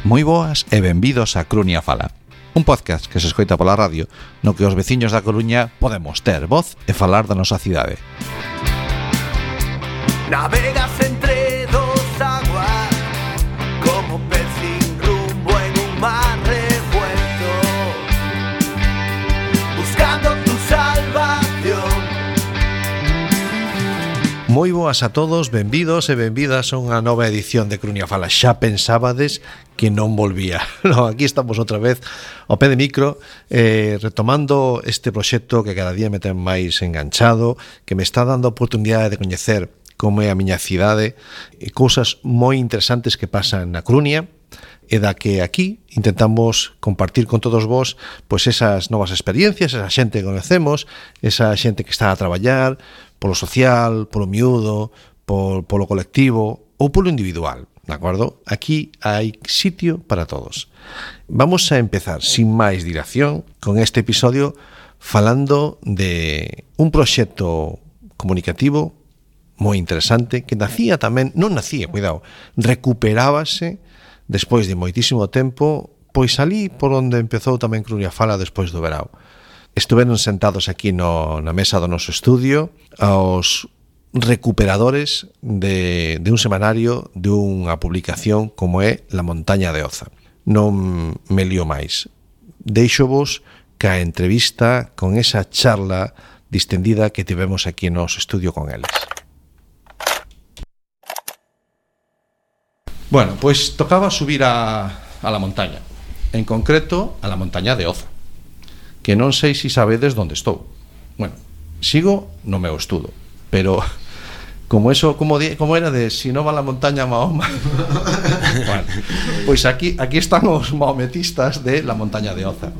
Moi boas e benvidos a Crunia Fala, un podcast que se escoita pola radio no que os veciños da Coruña podemos ter voz e falar da nosa cidade. Navegas entre dos aguas como pez sin rumbo en un mar revuelto, buscando tu salvación. Moi boas a todos, benvidos e benvidas a unha nova edición de Crunia Fala. Xa pensábades que non volvía. No, aquí estamos outra vez ao pé de micro, retomando este proxecto que cada día me ten máis enganchado, que me está dando a oportunidade de coñecer como é a miña cidade e cousas moi interesantes que pasan na Coruña, e da que aquí intentamos compartir con todos vos pois esas novas experiencias, esa xente que conocemos, esa xente que está a traballar polo social, polo miúdo, polo colectivo ou polo individual, de acordo? Aquí hai sitio para todos. Vamos a empezar sin máis dilación con este episodio falando de un proxecto comunicativo moi interesante que recuperábase despois de moitísimo tempo, pois ali por onde empezou tamén Crunia Fala despois do verao. Estuveron sentados aquí na mesa do noso estudio aos recuperadores de un semanario, de unha publicación como é La Montaña de Oza. Non me lío máis. Deixo-vos ca entrevista con esa charla distendida que tivemos aquí no noso estudio con eles. Bueno, pois tocaba subir a la montaña, en concreto a la montaña de Oza, que non sei se sabedes onde estou. Bueno, sigo no meu estudo, pero como era de si non va a la montaña Mahoma. Bueno, pois aquí están os maometistas de la montaña de Oza.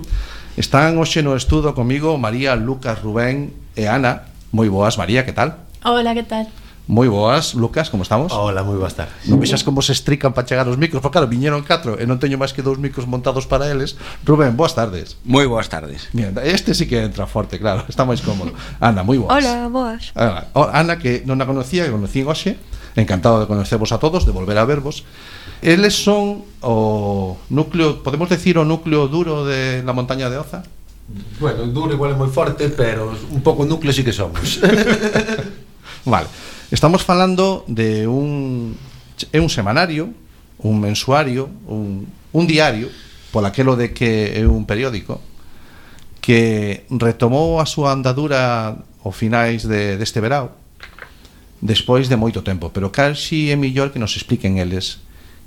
Están hoxe no estudo comigo María, Lucas, Rubén e Ana. Moi boas, María, que tal? Hola, que tal? Moi boas, Lucas, como estamos? Hola, moi boas tardes. Non vexas como se estrican para chegar os micros, porque claro, viñeron 4 e non teño máis que 2 micros montados para eles. Rubén, boas tardes. Moi boas tardes. Mira, este sí que entra forte, claro, está máis cómodo. Ana, moi boas. Hola, boas. Ana, que non a conocía, que conocí hoxe. Encantado de conocervos a todos, de volver a vervos. Eles son o núcleo, podemos decir o núcleo duro de la montaña de Oza? Bueno, duro igual é moi forte, pero un pouco núcleo sí que somos. Vale. Estamos falando de un semanario, un mensuario, un diario, por aquelo de que é un periódico, que retomou a súa andadura ao finais deste verao, despois de moito tempo, pero casi é mellor que nos expliquen eles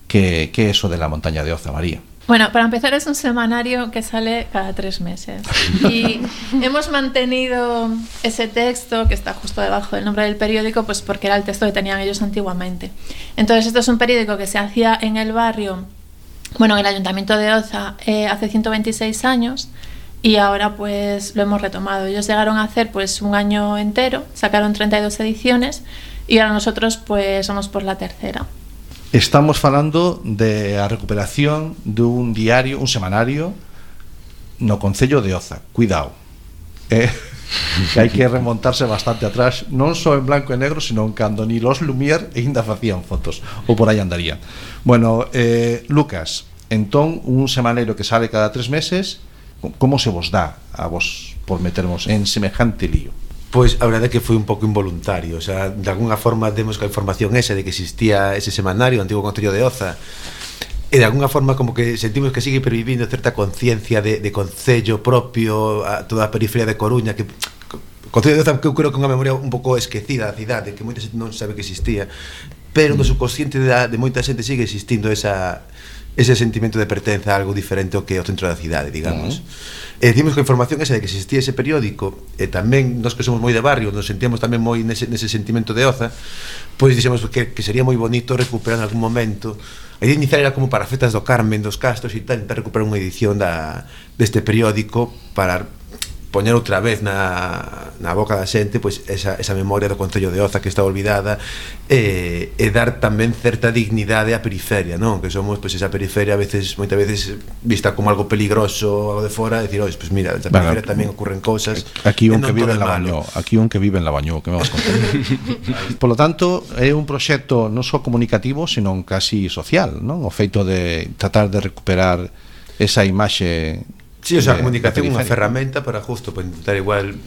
que é eso de la montaña de Oza, María. Bueno, para empezar es un semanario que sale cada 3 meses y hemos mantenido ese texto que está justo debajo del nombre del periódico, pues porque era el texto que tenían ellos antiguamente. Entonces esto es un periódico que se hacía en el barrio, bueno, en el Ayuntamiento de Oza hace 126 años y ahora pues lo hemos retomado. Ellos llegaron a hacer pues un año entero, sacaron 32 ediciones y ahora nosotros pues somos por la tercera. Estamos falando de a recuperación dun diario, un semanario no concello de Oza. Cuidado, que hai que remontarse bastante atrás, non só en blanco e negro, sino en cando ni los Lumière ainda facían fotos, ou por aí andarían. Bueno, Lucas, entón un semanario que sale cada 3 meses, como se vos dá a vos por metermos en semejante lío? Pois a verdade é que foi un pouco involuntario, o sea, de alguna forma demos coa información esa de que existía ese semanario, o antigo concello de Oza, e de alguna forma como que sentimos que sigue pervivindo certa conciencia de concello propio a toda a periferia de Coruña, que concello de Oza que eu creo que é unha memoria un pouco esquecida da cidade, que moita xente non sabe que existía, pero no subconsciente de moita xente sigue existindo ese sentimento de pertenza a algo diferente ao que é o centro da cidade, digamos. E dicimos que a información esa de que existía ese periódico, e tamén nós que somos moi de barrio, nos sentíamos tamén moi nese sentimento de Oza, pois dixemos que sería moi bonito recuperar en algún momento. A idea inicial era como para festas do Carmen, dos Castros e tal, intentar recuperar unha edición deste periódico para poñer outra vez na boca da xente pois esa memoria do Concello de Oza que está olvidada, e dar tamén certa dignidade á periferia, non? Que somos pois esa periferia moitas veces vista como algo peligroso, algo de fora, decir, pois mira, na periferia tamén ocurren cousas. Aquí un que vive en Lavañó, que me vas contar. Por lo tanto, é un proxecto non só comunicativo, senón casi social, non? O feito de tratar de recuperar esa imaxe. Sí, o sea, a comunicación é unha ferramenta para justo para intentar igual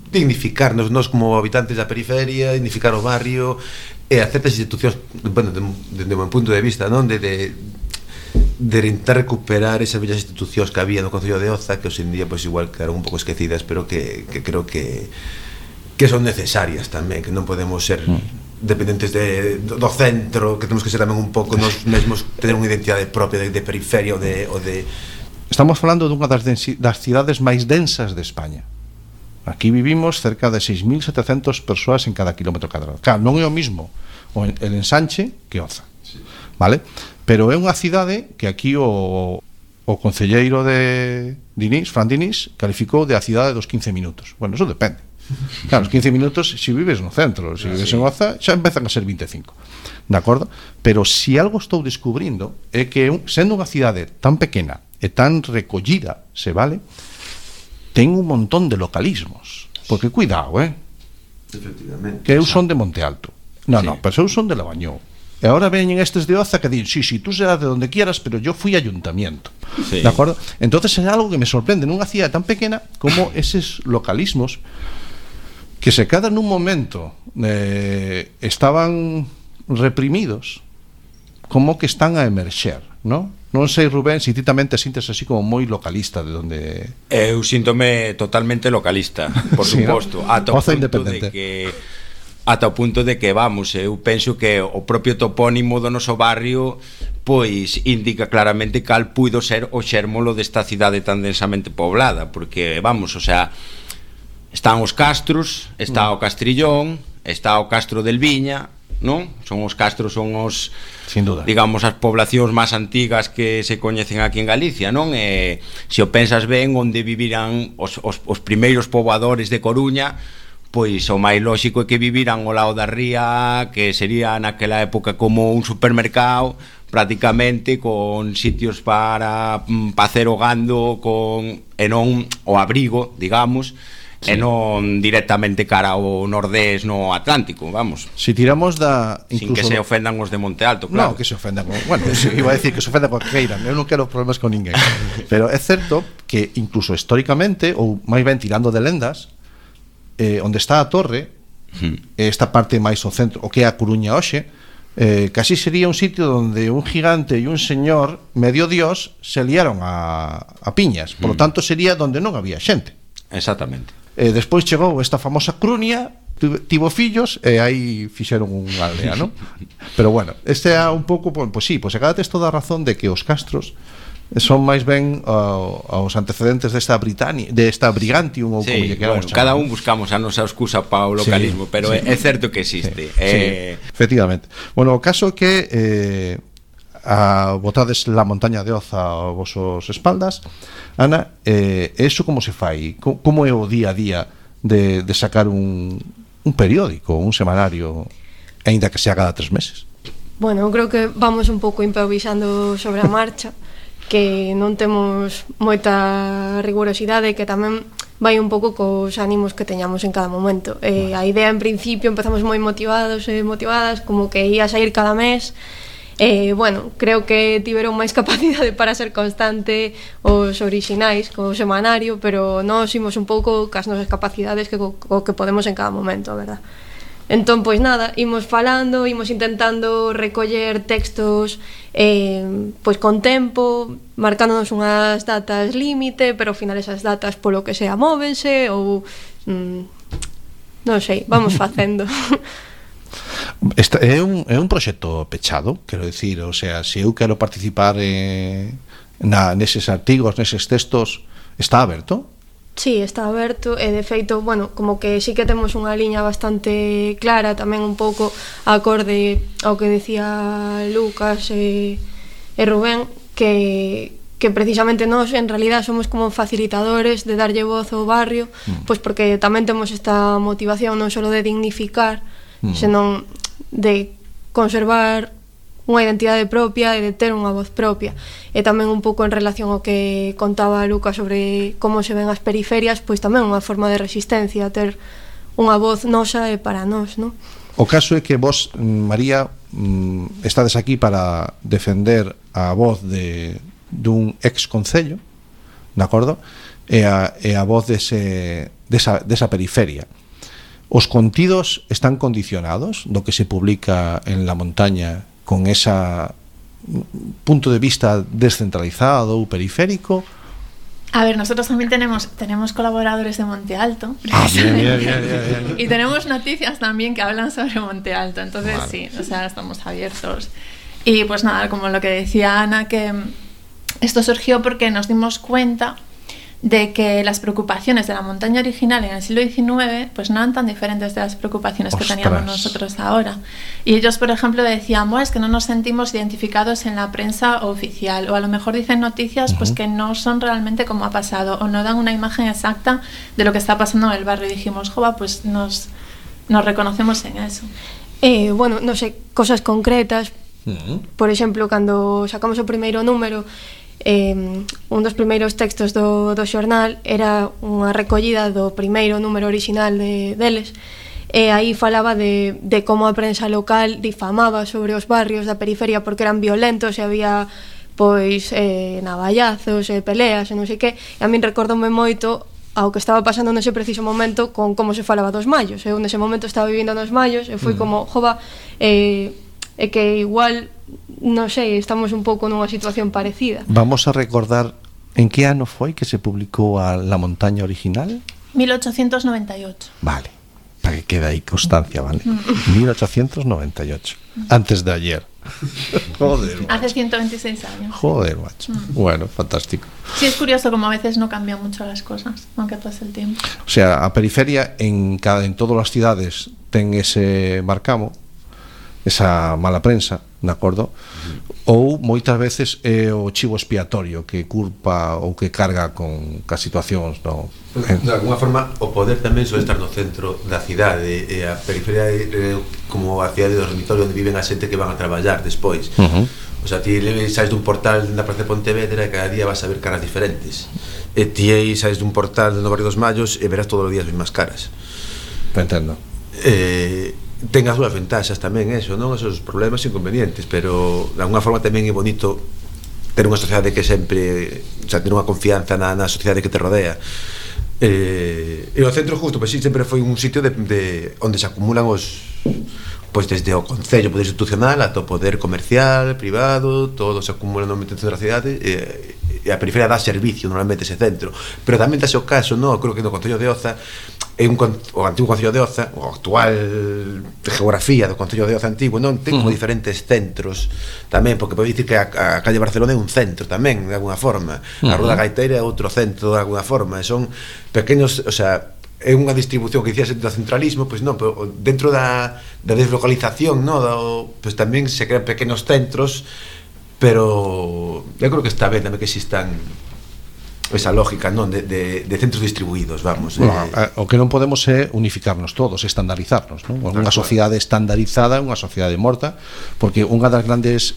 dignificarnos nós como habitantes da periferia, dignificar o barrio e a certas institucións, bueno, desde o meu punto de vista, non? De intentar recuperar esas bellas institucións que había no Concello de Oza, que hoxe en día pois igual quedaron un pouco esquecidas, pero que creo que son necesarias tamén, que non podemos ser dependentes do centro, que temos que ser tamén un pouco nós mesmos, tener unha identidade propia de periferia ou de Estamos falando dunha das cidades máis densas de España. Aquí vivimos cerca de 6.700 persoas en cada kilómetro cadrado. Claro, non é o mismo el ensanche que Oza, vale? Pero é unha cidade que aquí o concelleiro de Dinís, Fran Dinís, calificou de a cidade dos 15 minutos. Bueno, eso depende. Claro, os 15 minutos se vives no centro, se vives en Oza, xa empezan a ser 25. De acordo? Pero se algo estou descubrindo é que sendo unha cidade tan pequena e tan recollida, se vale, ten un montón de localismos. Porque cuidado, efectivamente, que eu son de Monte Alto. No, pero eu son de Lavañou. E ahora veñen estes de Oza que din, sí, tú serás de donde quieras, pero yo fui ayuntamiento. Sí. De acordo? Entonces é algo que me sorprende nunha cidade tan pequena como eses localismos que se quedan nun momento estaban reprimidos, como que están a emerxer, non? Non sei, Rubén, se ti tamén te sintes así como moi localista de onde... Eu síntome totalmente localista, por suposto, ¿no? Ata o punto de que vamos, eu penso que o propio topónimo do noso barrio pois indica claramente cal puido ser o xérmolo desta cidade tan densamente poblada, porque vamos, o sea, están os castros, está o Castrillón, está o Castro del Viña, non? Os castros son os, sin duda, digamos, as poblacións máis antigas que se coñecen aquí en Galicia, non? E se o pensas ben, onde vivirán os primeiros poboadores de Coruña, pois o máis lóxico é que viviran ao lado da ría, que sería naquela época como un supermercado, prácticamente con sitios para facer o gando, e non o abrigo, digamos, e non directamente cara ao nordés no Atlántico, vamos. Si tiramos sin que se ofendan os de Monte Alto, claro. Non, que se ofendan. Bueno, iba a decir que se ofendan con que queiran. Eu non quero problemas con ninguén. Pero é certo que incluso históricamente, ou máis ben tirando de lendas, onde está a torre, esta parte máis ao centro, o que é a Coruña hoxe, casi sería un sitio donde un gigante e un señor medio dios se liaron a piñas. Por lo tanto, sería donde non había xente. Exactamente. Despois chegou esta famosa Crunia, tivo fillos e aí fixeron unha aldea, non? Pero bueno, este é un pouco, pois sí, pois acá tes toda a razón de que os castros son máis ben aos antecedentes desta Brigantium ou como lle queramos chamar. Cada un buscamos a nosa excusa para o localismo, pero é certo que existe. Efectivamente. Bueno, o caso é que botades la montaña de Oza aos vosos espaldas, Ana, eso como se fai? Como é o día a día de sacar un periódico, un semanario, aínda que sea cada 3 meses? Bueno, eu creo que vamos un pouco improvisando sobre a marcha, que non temos moita rigurosidade, que tamén vai un pouco cos ánimos que teñamos en cada momento. A idea, en principio, empezamos moi motivados e motivadas, como que ia sair cada mes. Bueno, creo que tiveron máis capacidade para ser constante os orixinais co semanario, pero nós imos un pouco cas nosas capacidades que podemos en cada momento, a verdad. Entón, pois nada, imos falando, imos intentando recoller textos pois con tempo, marcándonos unhas datas límite, pero ao final esas datas polo que sea móvense ou non sei, vamos facendo. É un proxecto pechado, quero dicir, o sea, se eu quero participar neses artigos, neses textos, está aberto? Sí, está aberto e de feito, bueno, como que sí que temos unha liña bastante clara, tamén un pouco acorde ao que decía Lucas e Rubén, que que precisamente nós en realidad somos como facilitadores de darlle voz ao barrio, pois porque tamén temos esta motivación non só de dignificar, senón de conservar unha identidade propia e de ter unha voz propia. E tamén un pouco en relación ao que contaba Lucas sobre como se ven as periferias, pois tamén unha forma de resistencia, ter unha voz nosa e para nós, non? O caso é que vos, María, estades aquí para defender a voz dun ex concello, de acordo? E a voz desa periferia. Os contidos están condicionados do que se publica en La Montaña con ese punto de vista descentralizado ou periférico. A ver, nosotros también tenemos colaboradores de Monte Alto. Bien. Y tenemos noticias también que hablan sobre Monte Alto. Entonces, vale. Sí, o sea, estamos abiertos. Y pues nada, como lo que decía Ana, que esto surgió porque nos dimos cuenta de que las preocupaciones de la montaña original en el siglo XIX pues no eran tan diferentes de las preocupaciones que teníamos nosotros ahora. Y ellos, por ejemplo, decían, es que no nos sentimos identificados en la prensa oficial, o a lo mejor dicen noticias pues que no son realmente como ha pasado, o no dan una imagen exacta de lo que está pasando en el barrio. Y dijimos, pues nos reconocemos en eso. Bueno, no sé, cosas concretas. Por exemplo, cando sacamos o primeiro número, un dos primeiros textos do xornal era unha recollida do primeiro número orixinal deles, e aí falaba de como a prensa local difamaba sobre os barrios da periferia porque eran violentos e había pois navallazos e peleas e non sei que. E a min recordoume moito ao que estaba pasando nese preciso momento con como se falaba dos mallos. Eu nese momento estaba vivindo nos mallos e foi como, é que igual, non sei, estamos un pouco nunha situación parecida. Vamos a recordar en que ano foi que se publicou a La Montaña original? 1898. Vale, para que quede aí constancia, vale? 1898, antes de ayer. Joder, macho. Hace 126 años. Joder, macho. Bueno, fantástico. Sí, es curioso como a veces no cambian mucho las cosas, aunque pase el tiempo. O sea, a periferia en todas as cidades ten ese marcamo, esa mala prensa, de acordo? Ou moitas veces é o chivo expiatorio que culpa ou que carga con as situacións, no? De alguna forma, o poder tamén suele estar no centro da cidade, e a periferia é como a cidade do dormitorio onde viven a xente que van a traballar despois. O sea, ti saes dun portal na Praza de Pontevedra e cada día vas a ver caras diferentes. E ti aí saes dun portal no Barrio dos Mallos e verás todos os días as mesmas caras. Entendo. Ten as súas ventaxas tamén eso, non? Esos problemas inconvenientes, pero de alguna forma tamén é bonito ter unha sociedade que sempre, o sea, ter unha confianza na sociedade que te rodea. E o centro justo, pois sí, sempre foi un sitio de onde se acumulan os, pois desde o concello, poder institucional ata o poder comercial, privado, todo se acumula no centro da cidade, e a periferia dá servicio normalmente ese centro, pero tamén dase o caso, non? Creo que no Concello de Oza o antigo Concello de Oza, o actual geografía do Concello de Oza antigo, non ten como diferentes centros tamén, porque pode dicir que a calle Barcelona é un centro tamén, de alguna forma, a Rua da Gaiteira é outro centro de alguna forma, son pequenos, o sea, é unha distribución que dicías do centralismo, pois non, pero dentro da deslocalización, non, pois tamén se crean pequenos centros, pero eu creo que está ben tamén que existan esa lógica, non, de centros distribuídos, vamos. O que non podemos é unificarnos todos, estandarizarnos, non? Unha sociedade estandarizada é unha sociedade morta, porque unha das grandes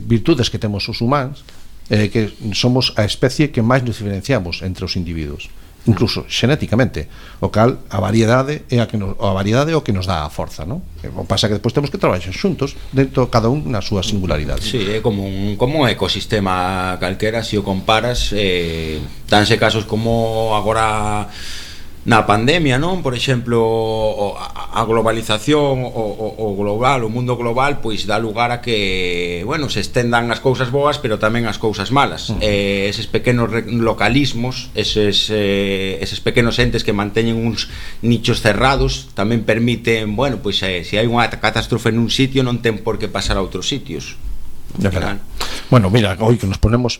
virtudes que temos os humanos é que somos a especie que máis nos diferenciamos entre os individuos, incluso xenéticamente, o cal a variedade é o que nos dá a forza, non? O pasa que despois temos que traballar xuntos dentro cada un na súa singularidade. Sí, é como un ecosistema calquera, se o comparas, danse casos como agora na pandemia, non? Por exemplo, a globalización, o global, o mundo global, pois dá lugar a que, bueno, se estendan as cousas boas, pero tamén as cousas malas. Eses pequenos localismos, eses pequenos entes que manteñen uns nichos cerrados, tamén permiten, bueno, pois se hai unha catástrofe nun sitio non ten por que pasar a outros sitios. Bueno, mira, hoy que nos ponemos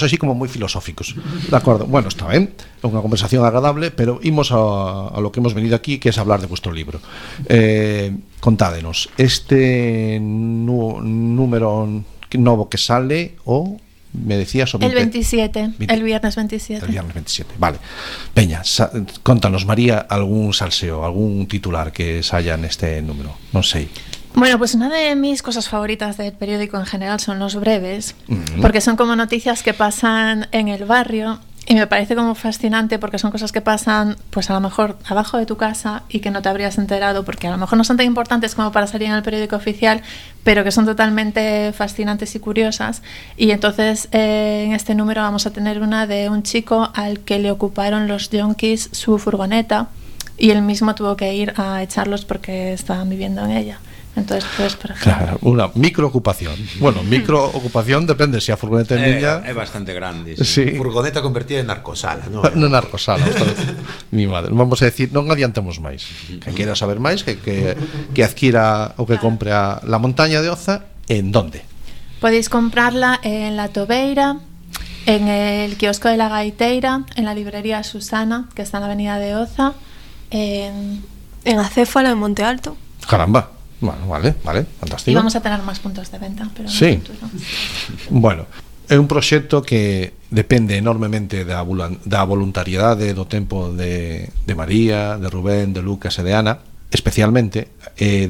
así como moi filosóficos. De acordo, bueno, está ben, é unha conversación agradable, pero imos a lo que hemos venido aquí, que es hablar de vuestro libro. Contádenos, este número novo que sale o me decías o El 27, el viernes 27. El viernes 27, vale. Veña, contanos, María, algún salseo, algún titular que saia neste número, non sei. Bueno, pues una de mis cosas favoritas del periódico en general son los breves, porque son como noticias que pasan en el barrio y me parece como fascinante porque son cosas que pasan pues a lo mejor abajo de tu casa y que no te habrías enterado porque a lo mejor no son tan importantes como para salir en el periódico oficial, pero que son totalmente fascinantes y curiosas. Y entonces en este número vamos a tener una de un chico al que le ocuparon los yonkis su furgoneta y él mismo tuvo que ir a echarlos porque estaban viviendo en ella. Entonces, pues, por ejemplo... Claro, unha microocupación. Bueno, microocupación depende se a furgoneta é niña... É bastante grande. Sí. Furgoneta convertida en narcosala, ¿no? No narcosala. Mi madre. Vamos a decir, non adiantemos máis. Que queira saber máis, que adquira ou que compre a La Montaña de Oza, en donde? Podéis comprarla en La Tobeira, en el kiosco de La Gaiteira, en la librería Susana, que está en la avenida de Oza, en Acéfala, en Monte Alto. Caramba. Bueno, vale, fantástico. Y vamos a tener más puntos de venta, pero sí. En el futuro. Bueno, é un proxecto que depende enormemente da voluntariedade do tempo de María, de Rubén, de Lucas e de Ana, especialmente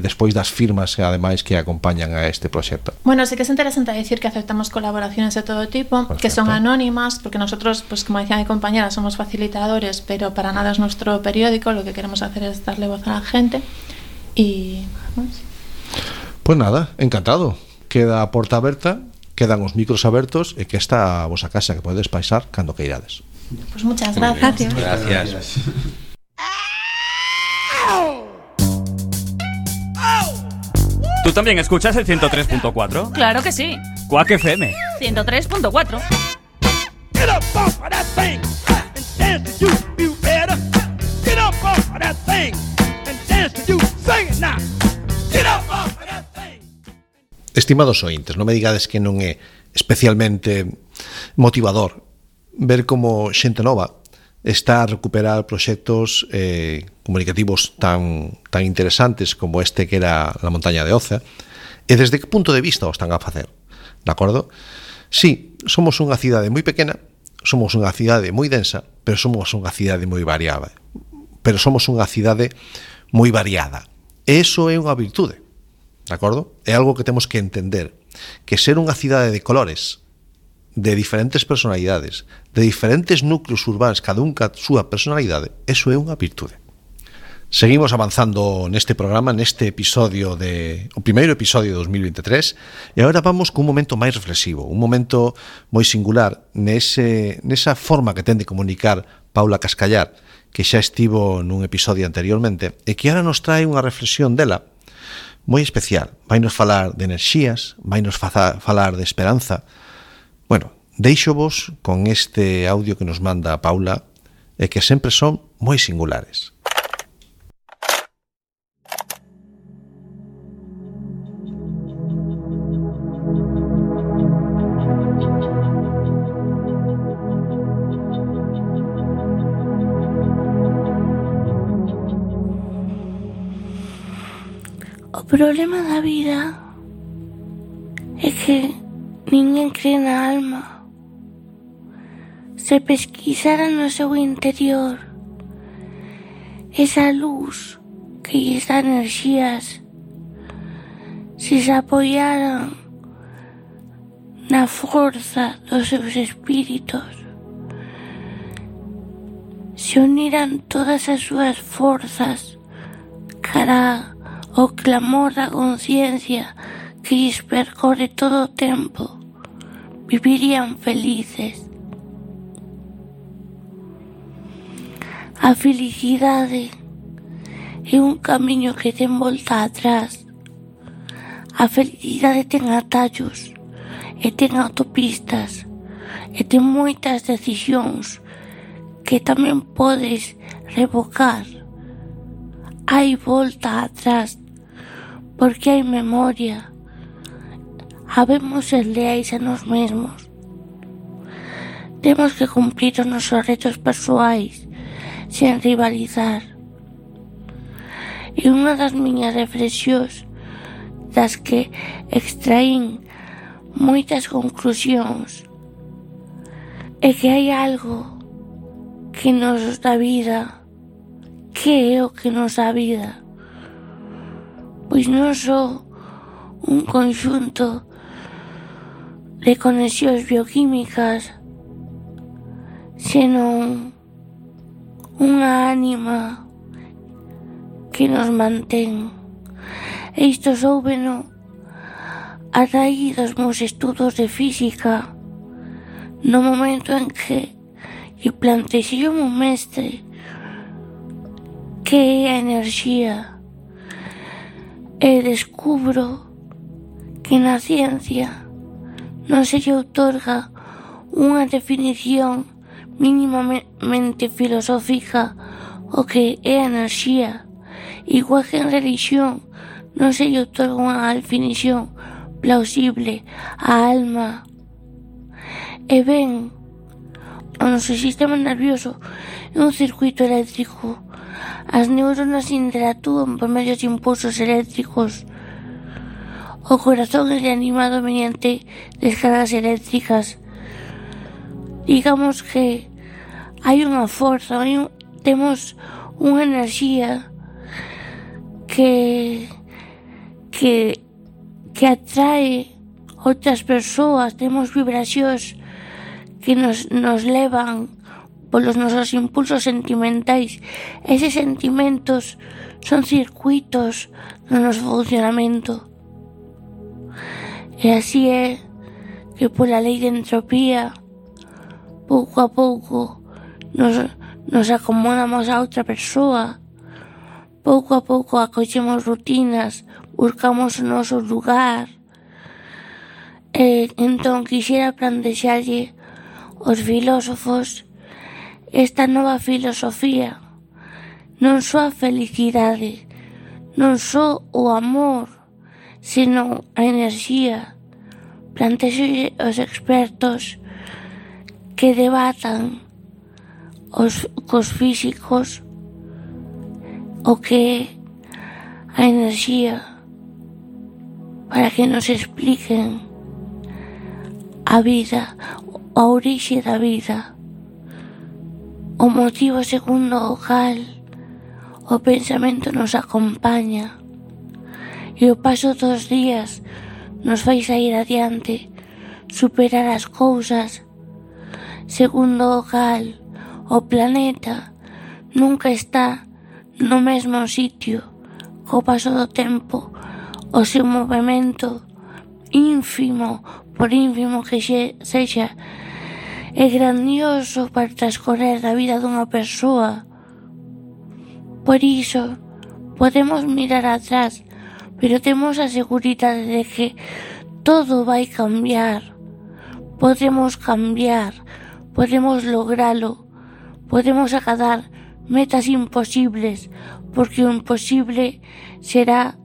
despois das firmas ademais que acompañan a este proxecto. Bueno, sí que es interesante decir que aceptamos colaboraciones de todo tipo, que son anónimas, porque nosotros, pues como decía mi compañera, somos facilitadores, pero para nada es nuestro periódico, lo que queremos hacer es darle voz a la gente. Y vamos. Pues nada, encantado. Queda a porta aberta, quedan os micros abertos e que está a vosa casa que podedes paisar cando queirades. Pues muchas gracias. Gracias. ¿Tú también escuchas el 103.4? Claro que sí. Quack FM 103.4. Get up off of that thing and dance to you better. Get up off of that thing and dance to you. Sing it now. Get up off of that thing. Estimados ointes, non me digades que non é especialmente motivador ver como xente nova está a recuperar proxectos comunicativos tan interesantes como este que era La Montaña de Oza, e desde que punto de vista o están a facer, de acordo? Sí, somos unha cidade moi pequena, somos unha cidade moi densa, pero somos unha cidade moi variada. Pero somos unha cidade moi variada. E iso é unha virtude, de acordo? É algo que temos que entender, que ser unha cidade de colores, de diferentes personalidades, de diferentes núcleos urbanos, cada un ca súa personalidade, eso é unha virtude. Seguimos avanzando neste programa, neste episodio o primeiro episodio de 2023, e agora vamos cun momento máis reflexivo, un momento moi singular nesa forma que ten de comunicar Paula Cascallar, que xa estivo nun episodio anteriormente, e que agora nos trae unha reflexión dela moi especial. Vainos falar de enerxías, vainos falar de esperanza. Bueno, deixovos con este audio que nos manda a Paula e que sempre son moi singulares. O problema da vida é que ninguén cree na alma. Se pesquisara no seu interior esa luz que lles dá enerxías, se se apoyaran na forza dos seus espíritos, se uniran todas as súas forzas cara ao clamor da conciencia que lles percorre todo o tempo, vivirían felices. A felicidade é un camiño que ten volta atrás. A felicidade ten atallos, e ten autopistas, e ten moitas decisións que tamén podes revocar. Hai volta atrás, porque hai memoria. Habemos ser leais a nós mesmos. Temos que cumprir os nosos retos persoais sen rivalizar. E unha das miñas reflexións, das que extraín moitas conclusións, é que hai algo que nos dá vida. Que é o que nos dá vida? Pois non só un conxunto de conexións bioquímicas, senón unha ánima que nos mantén. E isto soubeno a raíz dos meus estudos de física, no momento en que plantexei o meu mestre que é a enerxía, e descubro que na ciencia non se lle outorga unha definición mínimamente filosófica o que é a enerxía, igual que en religión non se lle outorga unha definición plausible á alma. E ben, o noso sistema nervioso é un circuito eléctrico. As neuronas interactúan por medio de impulsos eléctricos. O corazón é animado mediante descargas eléctricas. Digamos que hai unha forza, temos unha enerxía que atrae outras persoas, temos vibracións que nos levan polos nosos impulsos sentimentais. Eses sentimentos son circuitos no noso funcionamento. E así é que pola lei de entropía, pouco a pouco nos acomodamos a outra persoa, pouco a pouco acollemos rutinas, buscamos o noso lugar. E entón quixera plantexarlle aos filósofos esta nova filosofía, non só a felicidade, non só o amor, senón a enerxía. Plantexo aos expertos que debatan cos físicos o que é a enerxía, para que nos expliquen a vida, a orixe da vida, o motivo segundo o cal o pensamento nos acompaña, e o paso dos días nos vai sair adiante, superar as cousas, segundo o cal o planeta nunca está no mesmo sitio. Co paso do tempo, o seu movimento ínfimo, por ínfimo que sexa, é grandioso para transcorrer a vida dunha persoa. Por iso, podemos mirar atrás, pero temos a seguridade de que todo vai cambiar. Podemos cambiar, podemos logralo, podemos acadar metas imposibles, porque o imposible será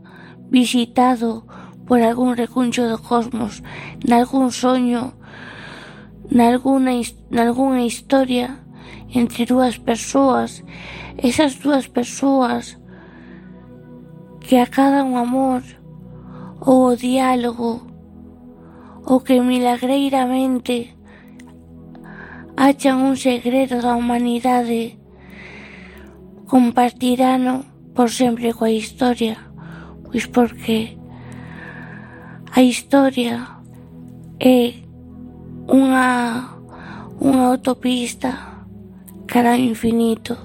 visitado por algún recuncho do cosmos, nalgún soño, nalgúna historia entre dúas persoas. Esas dúas persoas que acadan o amor ou o diálogo, ou que milagreiramente achan un segredo da humanidade, compartirano por sempre coa historia, pois porque a historia é unha autopista cara ao infinito.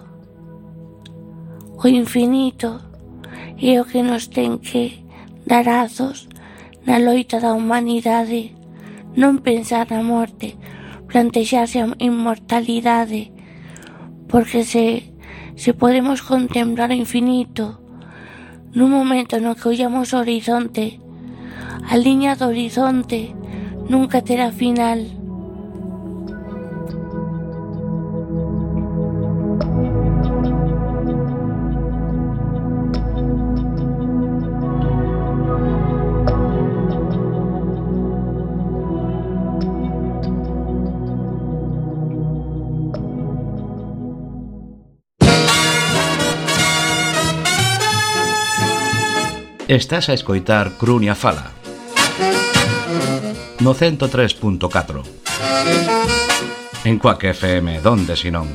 O infinito é o que nos ten que dar azos na loita da humanidade, non pensar na morte, plantexarse a inmortalidade, porque se podemos contemplar o infinito nun momento no que ollamos o horizonte, a liña do horizonte nunca terá final. Estás a escoitar Crunia Fala no 103.4. En Quack FM, donde si non?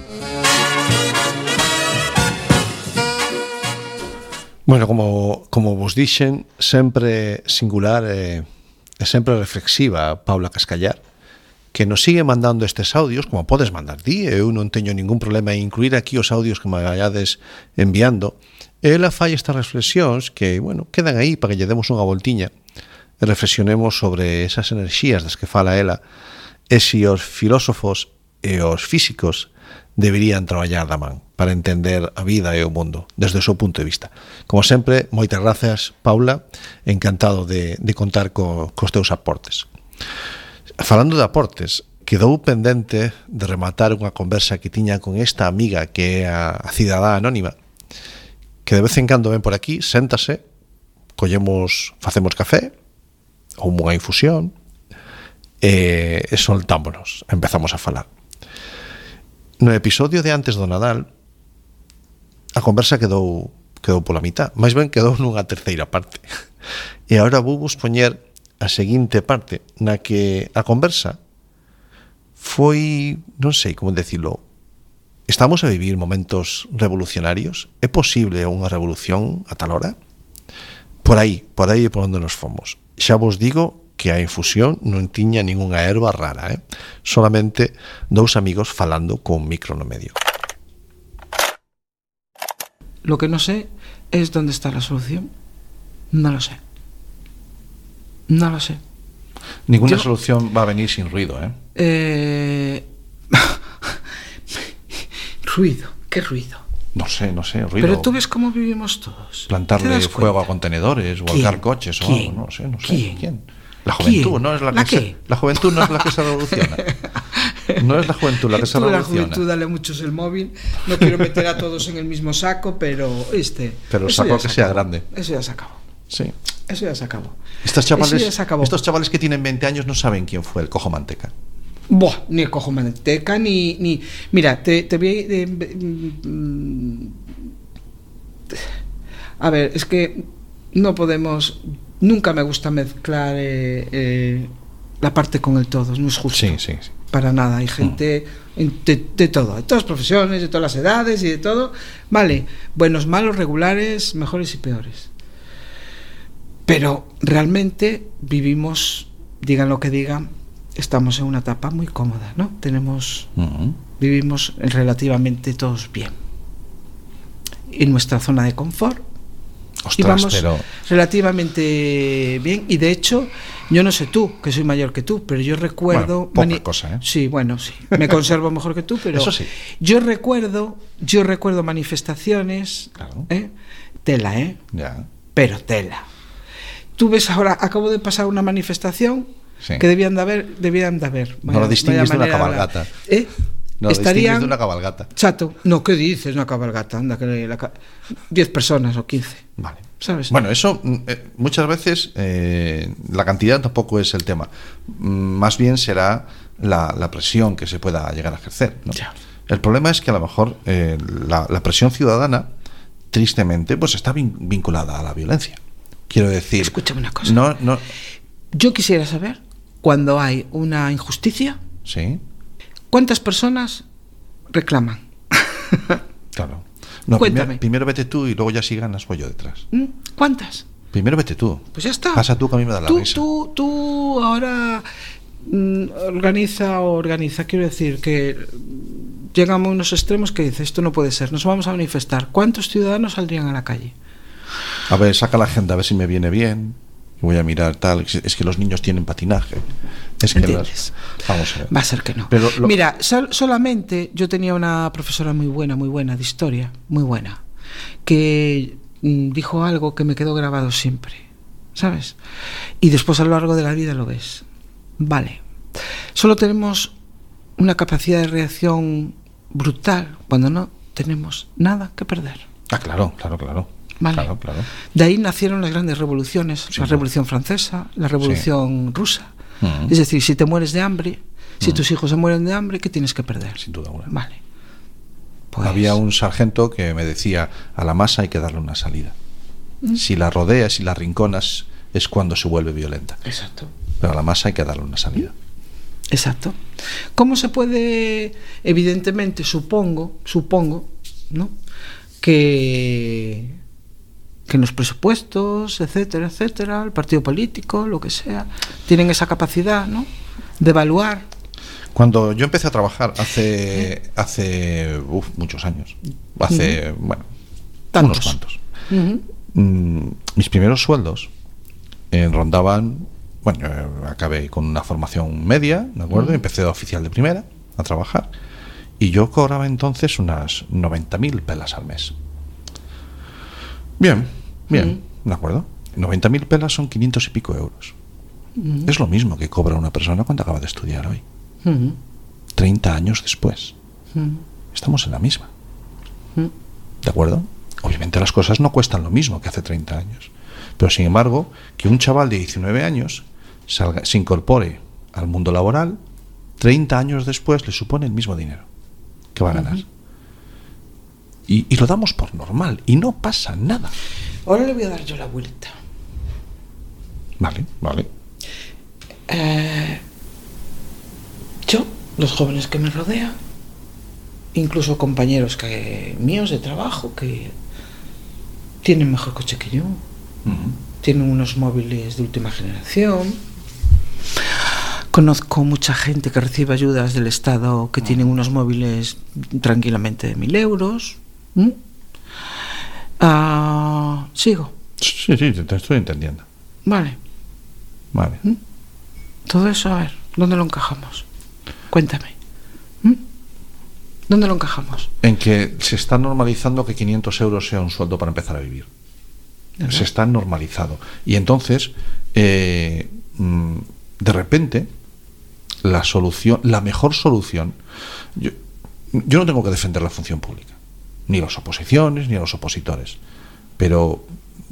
Bueno, como vos dixen, sempre singular e sempre reflexiva Paula Cascallar, que nos sigue mandando estes audios, como podes mandar ti, eu non teño ningún problema en incluir aquí os audios que me vayades enviando. Ela fai estas reflexións que, bueno, quedan aí para que lle demos unha voltiña e reflexionemos sobre esas enerxías das que fala ela e se os filósofos e os físicos deberían traballar da man para entender a vida e o mundo desde o seu punto de vista. Como sempre, moitas grazas, Paula, encantado de contar cos teus aportes. Falando de aportes, quedou pendente de rematar unha conversa que tiña con esta amiga que é a cidadá anónima, que de vez en cando ven por aquí, séntase, facemos café ou unha infusión e soltámonos, empezamos a falar. No episodio de antes do Nadal, a conversa quedou pola mitad, máis ben quedou nunha terceira parte. E agora vou vos poñer a seguinte parte, na que a conversa foi, non sei como decirlo, estamos a vivir momentos revolucionarios? É posible unha revolución a tal hora? Por aí é por onde nos fomos. Xa vos digo que a infusión non tiña ningunha erva rara, solamente dous amigos falando con micro no medio. Lo que no sé es dónde está la solución. No lo sé. No lo sé. Ninguna solución va a venir sin ruido, Ruido, ¿qué ruido? No sé, ruido. Pero tú ves cómo vivimos todos. Plantarle fuego a contenedores, volcar coches o algo, no sé. ¿Quién? La juventud no es la que la juventud no es la que se revoluciona. No es la juventud la que se revoluciona. La juventud dale muchos el móvil. No quiero meter a todos en el mismo saco, pero Pero el saco que sea grande. Eso ya se acabó. Sí. Eso ya se acabó. Estos chavales que tienen 20 años no saben quién fue el Cojo Manteca. Buah, ni el Cojo Manteca ni mira, te voy a ver, es que no podemos. Nunca me gusta mezclar la parte con el todo, no es justo. Sí. Para nada, hay gente de todo, de todas las profesiones, de todas las edades y de todo. Vale, buenos, malos, regulares, mejores y peores. Pero realmente vivimos, digan lo que digan, estamos en una etapa muy cómoda, ¿no? Vivimos relativamente todos bien. En nuestra zona de confort. Y vamos relativamente bien. Y de hecho, yo no sé tú, que soy mayor que tú, pero yo recuerdo... Bueno, poca cosa, ¿eh? Sí, bueno, sí. Me conservo mejor que tú, pero... Eso sí. Yo recuerdo manifestaciones... Claro. Tela, Ya. Pero tela. Tú ves ahora, acabo de pasar una manifestación que debían de haber. No lo distingues de una cabalgata. No, estarían de una cabalgata. Chato, no, ¿qué dices? Una cabalgata, anda, que 10 personas o 15. Vale. ¿Sabes? Bueno, eso muchas veces la cantidad tampoco es el tema. Más bien será la presión que se pueda llegar a ejercer, ¿no? Ya. El problema es que a lo mejor la presión ciudadana, tristemente, pues está vinculada a la violencia. Quiero decir... Escúchame una cosa. No. Yo quisiera saber, cuando hay una injusticia... Sí. ¿Cuántas personas reclaman? Claro. No, Cuéntame. Primero vete tú y luego ya si ganas voy yo detrás. ¿Cuántas? Primero vete tú. Pues ya está. Pasa tú que a mí me da la risa. Tú ahora organiza. Quiero decir que llegamos a unos extremos que dice, esto no puede ser, nos vamos a manifestar. ¿Cuántos ciudadanos saldrían a la calle? A ver, saca la agenda a ver si me viene bien. Voy a mirar tal. Es que los niños tienen patinaje. Es que vamos a ver. Va a ser que no. Pero mira, solamente yo tenía una profesora muy buena de historia, muy buena, que dijo algo que me quedó grabado siempre, ¿sabes? Y después a lo largo de la vida lo ves. Vale. Solo tenemos una capacidad de reacción brutal cuando no tenemos nada que perder. Ah, claro. Vale. Claro. De ahí nacieron las grandes revoluciones, la Revolución Francesa, la Revolución Rusa. Es decir, si te mueres de hambre, si tus hijos se mueren de hambre, ¿qué tienes que perder? Sin duda alguna. Vale. Pues... Había un sargento que me decía, a la masa hay que darle una salida. Si la rodeas y la rinconas es cuando se vuelve violenta. Exacto. Pero a la masa hay que darle una salida. Exacto. ¿Cómo se puede, evidentemente, supongo, ¿no? Que en los presupuestos, etcétera, etcétera, el partido político, lo que sea, tienen esa capacidad, ¿no?, de evaluar. Cuando yo empecé a trabajar hace muchos años, bueno, unos cuantos, mis primeros sueldos rondaban, bueno, yo acabé con una formación media, ¿de acuerdo? Empecé de oficial de primera a trabajar y yo cobraba entonces unas 90.000 pelas al mes. Bien, ¿de acuerdo? 90.000 pelas son 500 y pico euros. Es lo mismo que cobra una persona cuando acaba de estudiar hoy. 30 años después. Estamos en la misma. ¿De acuerdo? Obviamente las cosas no cuestan lo mismo que hace 30 años. Pero sin embargo, que un chaval de 19 años se incorpore al mundo laboral, 30 años después le supone el mismo dinero que va a ganar. Y lo damos por normal y no pasa nada. Ahora le voy a dar yo la vuelta. Vale. Yo, los jóvenes que me rodean, incluso compañeros míos de trabajo que tienen mejor coche que yo, tienen unos móviles de última generación. Conozco mucha gente que recibe ayudas del Estado que tienen unos móviles tranquilamente de 1.000 euros. ¿Sigo? Sí, te estoy entendiendo. Vale. Todo eso, a ver, ¿dónde lo encajamos? Cuéntame. ¿Dónde lo encajamos? En que se está normalizando que 500 euros sea un sueldo para empezar a vivir. ¿verdad? Se está normalizado. Y entonces, de repente, la mejor solución... Yo no tengo que defender la función pública, ni las oposiciones, ni a los opositores. Pero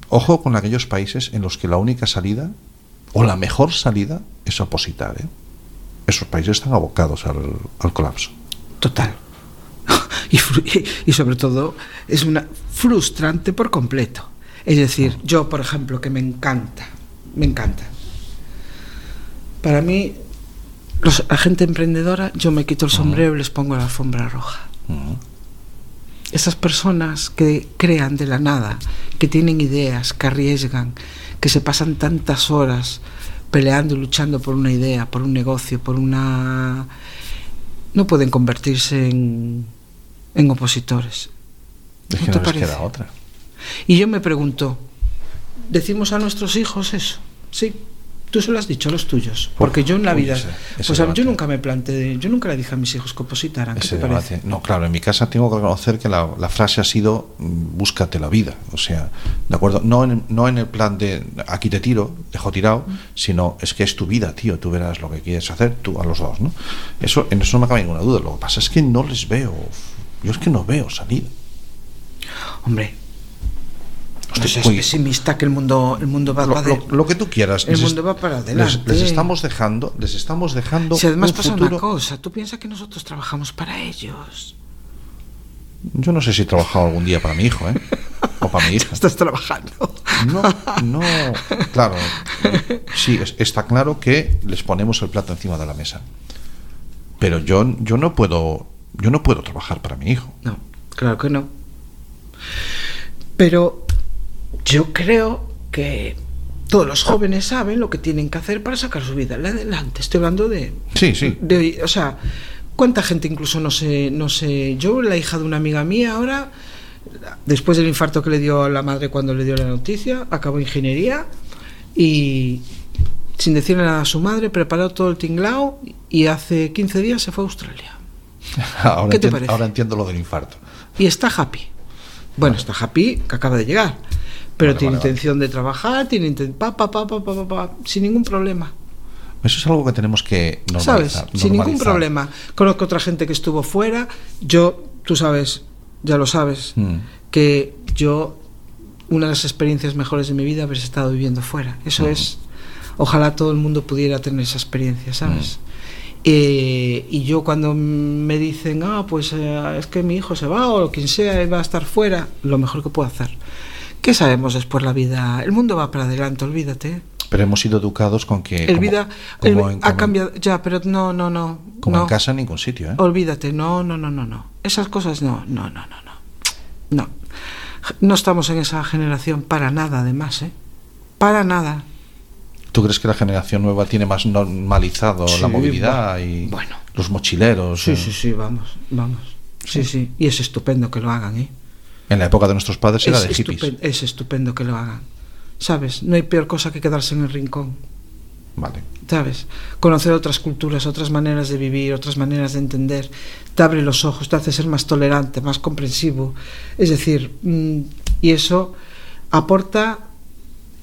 ojo con aquellos países en los que la única salida, o la mejor salida, es opositar, ¿eh? Esos países están abocados al colapso. Total. Y sobre todo es una frustrante por completo. Es decir, yo, por ejemplo, que me encanta. Para mí, la gente emprendedora, yo me quito el sombrero y les pongo la alfombra roja. Esas personas que crean de la nada, que tienen ideas, que arriesgan, que se pasan tantas horas peleando y luchando por una idea, por un negocio, no pueden convertirse en opositores. Es que no les queda otra. Y yo me pregunto, ¿decimos a nuestros hijos eso? Sí. Tú se lo has dicho a los tuyos, porque yo en la vida, yo nunca me planteé, yo nunca le dije a mis hijos que opositaran. ¿Qué te parece? No, claro, en mi casa tengo que reconocer que la frase ha sido búscate la vida, o sea, de acuerdo, no en el plan de aquí te tiro, dejo tirado, sino es que es tu vida, tío, tú verás lo que quieres hacer, tú a los dos, ¿no? En eso no me cabe ninguna duda. Lo que pasa es que no les veo, yo es que no veo salida. Hombre, es pesimista, que el mundo va para adelante. Lo que tú quieras. El mundo va para adelante. Les estamos dejando. Si además pasa futuro. Una cosa, tú piensas que nosotros trabajamos para ellos. Yo no sé si he trabajado algún día para mi hijo, o para mi hija. ¿Estás trabajando? No, claro. Sí, está claro que les ponemos el plato encima de la mesa. Pero yo no puedo trabajar para mi hijo. No, claro que no. Pero yo creo que todos los jóvenes saben lo que tienen que hacer para sacar su vida adelante. Estoy hablando de... Sí. O sea, ¿cuánta gente incluso no sé? Yo, la hija de una amiga mía ahora, después del infarto que le dio a la madre cuando le dio la noticia, acabó ingeniería y, sin decirle nada a su madre, preparó todo el tinglao y hace 15 días se fue a Australia. ¿Qué te parece? Ahora entiendo lo del infarto. Y está happy. Bueno, está happy, que acaba de llegar. Pero tiene intención de trabajar, sin ningún problema. Eso es algo que tenemos que normalizar. ¿Sabes? Sin ningún problema. Conozco otra gente que estuvo fuera. Tú sabes, ya lo sabes, que una de las experiencias mejores de mi vida haber estado viviendo fuera. Eso es, ojalá todo el mundo pudiera tener esa experiencia, ¿sabes? Y yo cuando me dicen, es que mi hijo se va o quien sea va a estar fuera, lo mejor que puedo hacer. ¿Qué sabemos después la vida? El mundo va para adelante, olvídate. Pero hemos sido educados con que ha cambiado ya, pero no. Como no. en casa en ningún sitio, ¿eh? Olvídate, no. Esas cosas no. No estamos en esa generación para nada, además, ¿eh? Para nada. ¿Tú crees que la generación nueva tiene más normalizado la movilidad y los mochileros? Sí, vamos. Sí. Y es estupendo que lo hagan, ¿eh? En la época de nuestros padres era de hippies. Es estupendo que lo hagan. ¿Sabes? No hay peor cosa que quedarse en el rincón. Vale. ¿Sabes? Conocer otras culturas, otras maneras de vivir, otras maneras de entender, te abre los ojos, te hace ser más tolerante, más comprensivo. Es decir, y eso aporta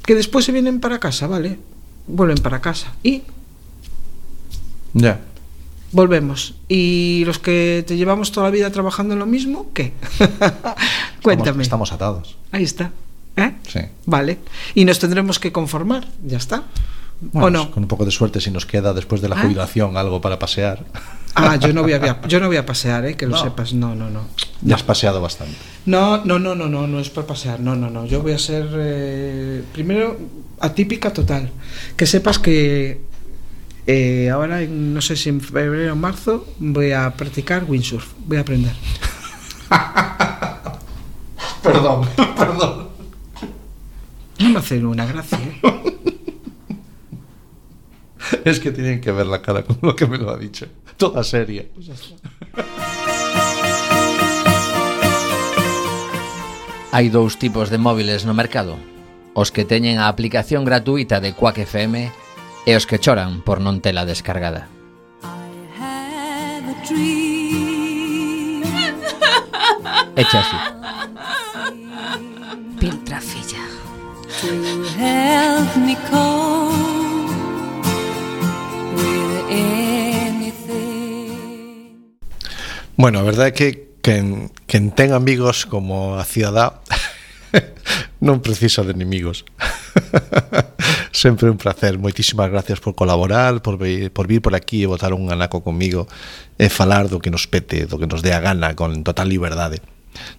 que después se vienen para casa, ¿vale? Vuelven para casa y ya volvemos. Y los que te llevamos toda la vida trabajando en lo mismo, ¿qué? Cuéntame. Estamos atados. Ahí está. ¿Eh? Sí. Vale. Y nos tendremos que conformar, ya está. Bueno, ¿o no? Con un poco de suerte, si nos queda después de la jubilación algo para pasear. Yo no voy a pasear, que lo sepas. No. Ya has paseado bastante. No es para pasear. No. Yo voy a ser primero atípica total. Que sepas que ahora, no sé si en febrero o marzo, voy a practicar windsurf. Voy a aprender. Perdón. No me hace una gracia, Es que tienen que ver la cara con lo que me lo ha dicho. Toda seria. Pues ya está. Hai dous tipos de móviles no mercado: os que teñen a aplicación gratuita de Quack FM e os que choran por non tela descargada. Echa así. Piltrafilla. To help me cope with anything. Bueno, a verdade é que quen ten amigos como a cidadá non precisa de inimigos. Sempre un placer. Moitísimas gracias por colaborar, por vir por aquí e botar un anaco comigo e falar do que nos pete, do que nos dé a gana con total liberdade.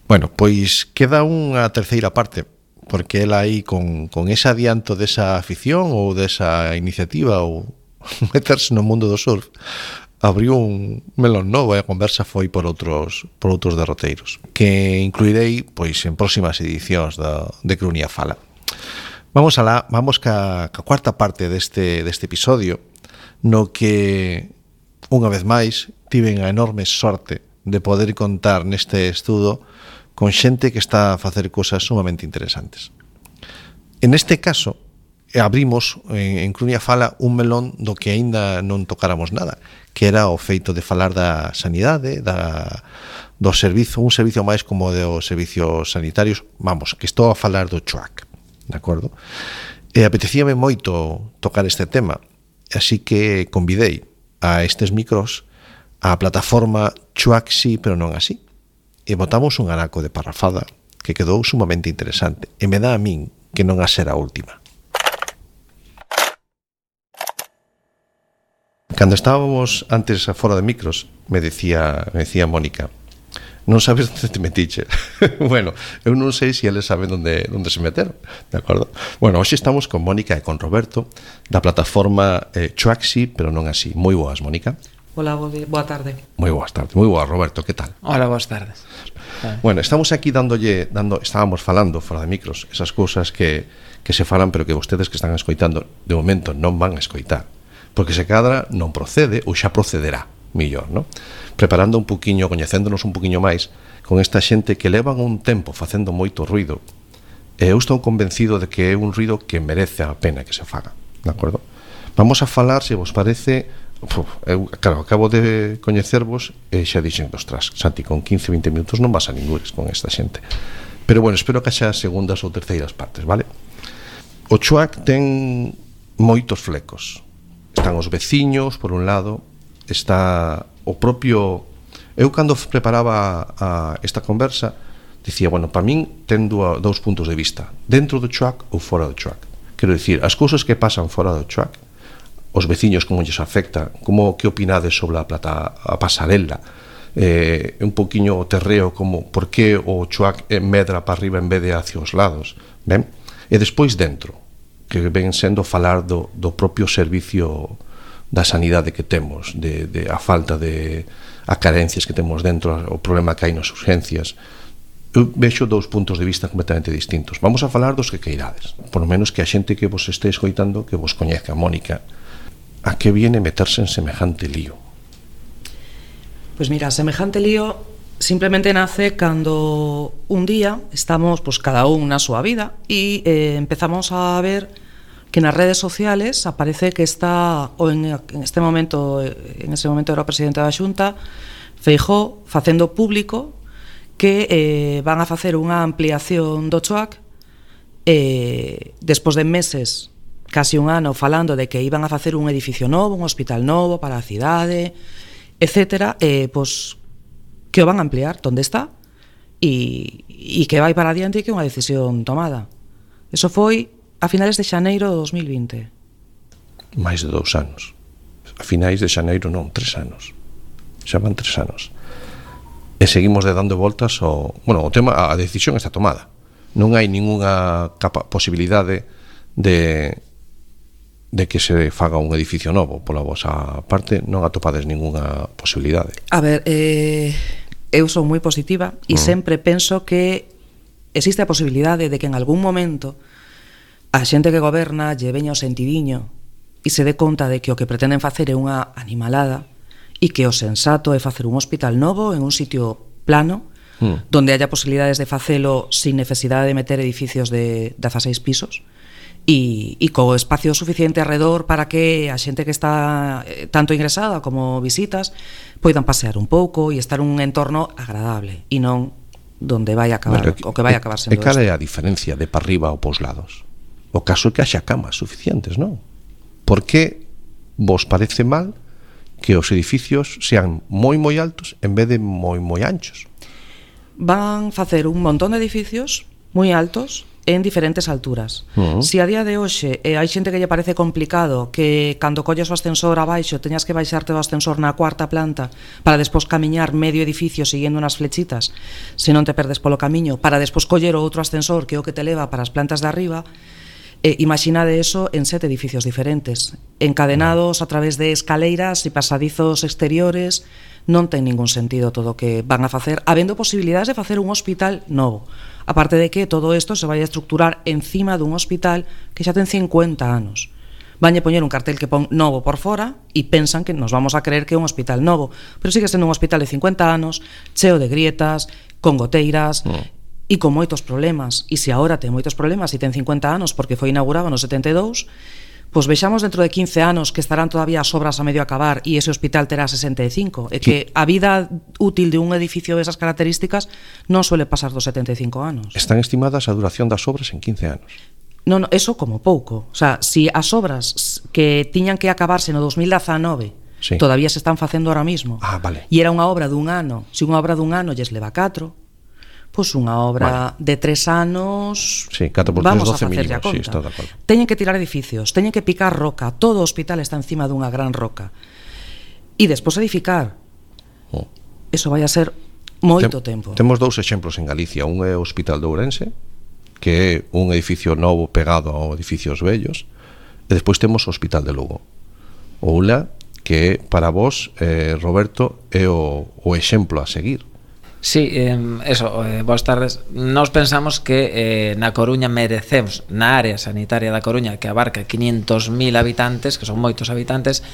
Bueno, pois queda unha terceira parte, porque ela aí con ese adianto desa afición ou desa iniciativa ou meterse no mundo do surf, abriu un melón novo e a conversa foi por outros derroteiros que incluirei pois en próximas edicións de Crunia Fala. Vamos ca cuarta parte deste episodio, no que unha vez máis tiven a enorme sorte de poder contar neste estudo con xente que está a facer cosas sumamente interesantes. En este caso, abrimos en Crunia Fala un melón do que aínda non tocáramos nada, que era o feito de falar da sanidade, do servizo, un servizo máis como dos servicios sanitarios, vamos, que estou a falar do CHUAC, de acordo? E apetecíame moito tocar este tema, así que convidei a estes micros a plataforma CHUAC sí, pero non así. E botamos un anaco de parrafada que quedou sumamente interesante, e me dá a min que non a ser a última. Cando estábamos antes fora de micros, me decía Mónica: non sabes onde te metiche. Bueno, eu non sei se eles saben onde se meteron, de acordo? Bueno, hoxe estamos con Mónica e con Roberto da plataforma CHUAC sí, pero non así. Moi boas, Mónica. Hola, boa tarde. Moi boas tardes. Moi boa, Roberto, que tal? Hola, boas tardes. Bueno, estamos aquí estábamos falando fora de micros esas cousas que se falan, pero que vostedes que están escoitando de momento non van a escoitar, porque se cadra non procede ou xa procederá millor, non? Preparando un poquinho, coñecéndonos un poquinho máis con esta xente que levan un tempo facendo moito ruido, e eu estou convencido de que é un ruido que merece a pena que se faga, de acordo? Vamos a falar, se vos parece, eu, claro, acabo de coñecervos e xa dixen, ostras, Santi, con 15-20 minutos non vas a ningures con esta xente, pero bueno, espero que xa segundas ou terceiras partes, vale? O CHUAC ten moitos flecos. Están os veciños, por un lado, está o propio... Eu cando preparaba esta conversa dicía, bueno, para min ten dous puntos de vista, dentro do CHUAC ou fora do CHUAC. Quero dicir, as cousas que pasan fora do CHUAC, os veciños como lles afecta, como que opinades sobre a pasarela, un poquinho o terreo, como por que o CHUAC medra para arriba en vez de hacia os lados, ben? E despois dentro, que ven sendo falar do propio servicio da sanidade que temos, de a falta de a carencias que temos dentro, o problema que hai nas urgencias. Eu vexo dous puntos de vista completamente distintos. Vamos a falar dos que queirades, por lo menos que a xente que vos este escoitando que vos coñezca. Mónica, a que viene meterse en semejante lío? Pues mira, semejante lío simplemente nace cando un día estamos pues cada un na súa vida e empezamos a ver que nas redes sociales aparece que está en ese momento era o presidente da Xunta, Feijóo, facendo público que van a facer unha ampliación do CHOAC despois de meses, casi un ano, falando de que iban a facer un edificio novo, un hospital novo para a cidade, etcétera, pois que o van a ampliar, onde está, e que vai para adiante e que é unha decisión tomada. Eso foi a finales de xaneiro de 2020. Mais de 2 anos. A finais de xaneiro non, 3 anos. Xa van 3 anos. E seguimos dando voltas ao... Bueno, o tema, a decisión está tomada. Non hai ningunha posibilidade de que se faga un edificio novo. Pola vosa parte non atopades ningunha posibilidade. A ver, eu son moi positiva e sempre penso que existe a posibilidade de que en algún momento a xente que goberna lle veña o sentidiño e se dé conta de que o que pretenden facer é unha animalada e que o sensato é facer un hospital novo en un sitio plano donde haya posibilidades de facelo sin necesidade de meter edificios de 16 pisos e co espacio suficiente alrededor para que a xente que está tanto ingresada como visitas poidan pasear un pouco e estar un entorno agradable e non donde vai a acabar, o que vai a acabar sendo isto. E cal é a diferencia de para arriba ou pos lados? O caso é que haxa camas suficientes, non? Por que vos parece mal que os edificios sean moi altos en vez de moi anchos? Van facer un montón de edificios moi altos en diferentes alturas. Si a día de hoxe hai xente que lle parece complicado que cando colles o ascensor abaixo teñas que baixarte do ascensor na 4ª planta para despois camiñar medio edificio seguindo unas flechitas, se non te perdes polo camiño, para despois coller o outro ascensor que é o que te leva para as plantas de arriba, imaginade eso en 7 edificios diferentes, encadenados a través de escaleiras e pasadizos exteriores. Non ten ningún sentido todo o que van a facer, habendo posibilidades de facer un hospital novo. Aparte de que todo isto se vai a estructurar encima dun hospital que xa ten 50 anos. Vanlle poñer un cartel que pon novo por fora e pensan que nos vamos a creer que é un hospital novo, pero sigue sendo un hospital de 50 anos, cheo de grietas, con goteiras e con moitos problemas. E se agora ten moitos problemas e ten 50 anos porque foi inaugurado no 72, pois vexamos dentro de 15 anos que estarán todavía as obras a medio acabar e ese hospital terá 65. É que a vida útil de un edificio desas características non suele pasar dos 75 anos. Están estimadas a duración das obras en 15 anos. Non, eso como pouco. O sea, si as obras que tiñan que acabarse no 2019 todavía se están facendo ahora mismo, vale. E era unha obra dun ano, se unha obra dun ano lles leva 4, pois unha obra de 3 anos, sí, 4 por 3, vamos 12 a facerlle a conta. Sí, está de acordo. Teñen que tirar edificios, teñen que picar roca, todo o hospital está encima dunha gran roca. E despois edificar. Eso vai a ser moito tempo. Temos 2 exemplos en Galicia, un é o Hospital de Ourense, que é un edificio novo pegado a edificios vellos, e despois temos o Hospital de Lugo. O ULA, que para vos, Roberto, é o exemplo a seguir. Sí, boas tardes. Nós pensamos que na Coruña merecemos, na área sanitaria da Coruña, que abarca 500.000 habitantes, que son moitos habitantes,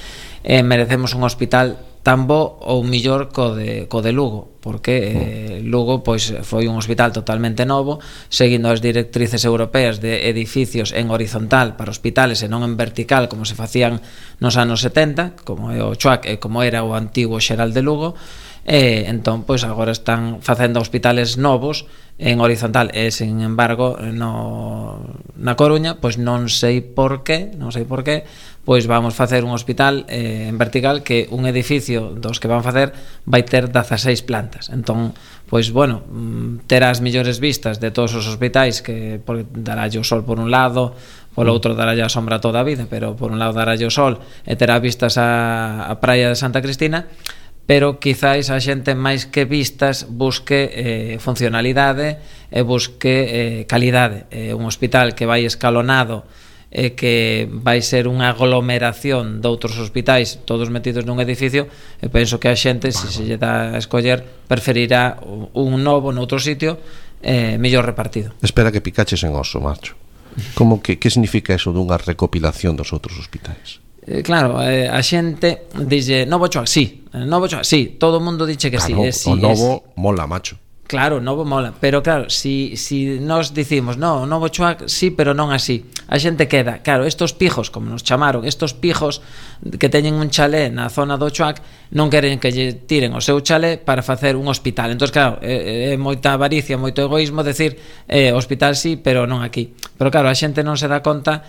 merecemos un hospital tan bo ou millor co de Lugo, porque Lugo pois foi un hospital totalmente novo, seguindo as directrices europeas de edificios en horizontal para hospitales e non en vertical como se facían nos anos 70, como é o CHOAC e como era o antigo Xeral de Lugo. Entón, pois agora están facendo hospitales novos en horizontal e, sin embargo, na Coruña, pois non sei por qué, pois vamos facer un hospital en vertical que un edificio dos que van facer vai ter 16 plantas. Entón, pois, bueno, terá as millores vistas de todos os hospitais que darálle o sol por un lado, polo outro darálle a sombra toda a vida, pero por un lado darálle o sol e terá vistas a praia de Santa Cristina, pero quizáis a xente máis que vistas busque funcionalidade e busque calidade. Un hospital que vai escalonado que vai ser unha aglomeración de outros hospitais todos metidos nun edificio, e penso que a xente, se lle dá a escoller, preferirá un novo noutro sitio mellor repartido. Espera que picaches en oso, macho. Como que significa eso dunha recopilación dos outros hospitais? Claro, a xente dixe Novo Choac, sí, todo o mundo dixe que claro, sí, o novo mola, macho. Claro, novo mola, pero claro, si nos dicimos no, Novo Choac sí, pero non así, a xente queda, claro, estos pijos, como nos chamaron, estos pijos que teñen un chalé na zona do Choac, non queren que lle tiren o seu chalé para facer un hospital. Entón, claro, é moita avaricia, moito egoísmo decir hospital sí, pero non aquí. Pero claro, a xente non se dá conta